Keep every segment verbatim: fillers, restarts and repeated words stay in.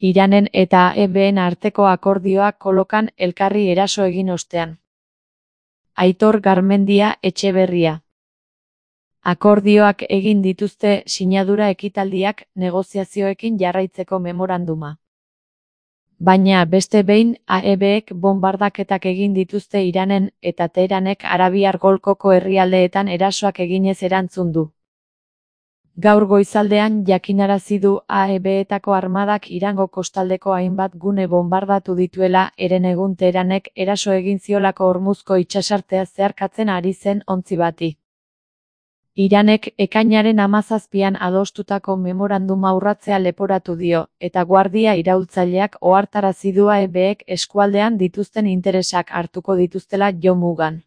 Iranen eta A E B:en arteko akordioa kolokan elkarri eraso egin ostean. Aitor Garmendia Etxeberria. Akordioak egin dituzte sinadura ekitaldiak negoziazioekin jarraitzeko memoranduma. Baina beste behin A E Bek bonbardaketak egin dituzte Iranen eta Teheranek Arabiar Golkoko herrialdeetan erasoak eginez erantzun du. Gaur goizaldean jakinarazi du A E Betako armadak Irango kostaldeko hainbat gune bonbardatu dituela herenegun Teheranek eraso egin ziolako Hormuzko itsasartea zeharkatzen ari zen ontzi bati. Iranek ekainaren hamazazpian adostutako memoranduma urratzea leporatu dio, eta guardia iraultzaileak ohartarazi du A E Bek eskualdean dituzten interesak hartuko dituztela jo mugan.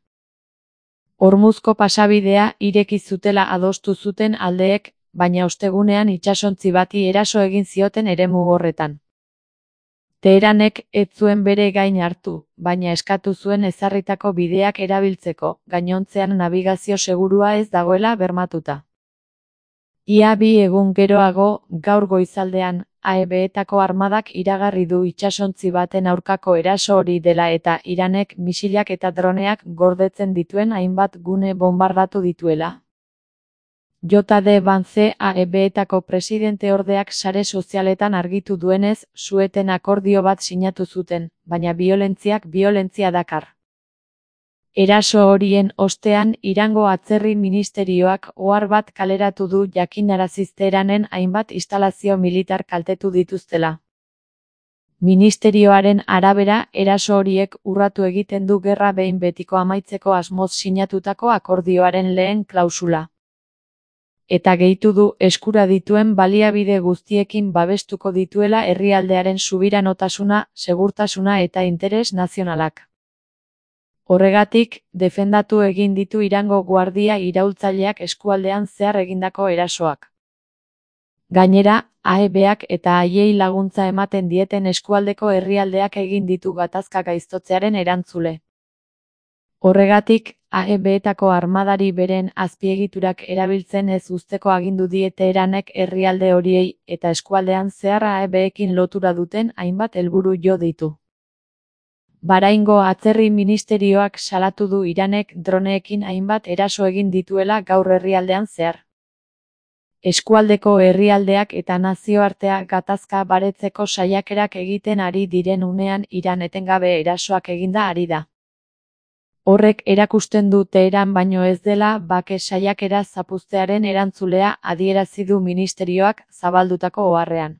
Hormuzko pasabidea ireki zutela adostu zuten aldeek, baina ostegunean itsasontzi bati eraso egin zioten eremu horretan. Teheranek ez zuen bere gain hartu, baina eskatu zuen ezarritako bideak erabiltzeko, gainontzean nabigazio segurua ez dagoela bermatuta. Ia bi egun geroago, gaur goizaldean, A E Betako armadak iragarri du itsasontzi baten aurkako eraso hori dela eta Iranek misilak eta droneak gordetzen dituen hainbat gune bonbardatu dituela. J D Vance A E Betako presidenteordeak sare sozialetan argitu duenez, su-eten akordio bat sinatu zuten, baina biolentziak biolentzia dakar. Eraso horien ostean Irango atzerri ministerioak ohar bat kaleratu du jakinaraziz Teheranen hainbat instalazio militar kaltetu dituztela. Ministerioaren arabera, eraso horiek urratu egiten du gerra behin betiko amaitzeko asmoz sinatutako akordioaren lehen klausula. Eta gehitu du eskura dituen baliabide guztiekin babestuko dituela herrialdearen subiranotasuna, segurtasuna eta interes nazionalak. Horregatik, defendatu egin ditu Irango guardia iraultzaileak eskualdean zehar egindako erasoak. Gainera, A E Bak eta haiei laguntza ematen dieten eskualdeko herrialdeak egin ditu gatazka gaiztotzearen erantzule. Horregatik, A E Betako armadari beren azpiegiturak erabiltzen ez uzteko agindu die Teheranek herrialde horiei eta eskualdean zehar A E Bekin lotura duten hainbat helburu jo ditu. Bahraingo atzerri ministerioak salatu du Iranek droneekin hainbat eraso egin dituela gaur herrialdean zehar. Eskualdeko herrialdeak eta nazioartea gatazka baretzeko saiakerak egiten ari diren unean Iran etengabe erasoak eginda ari da. Horrek erakusten du Teheran baino ez dela bake saiakera zapuztearen erantzulea adierazi du ministerioak zabaldutako oharrean.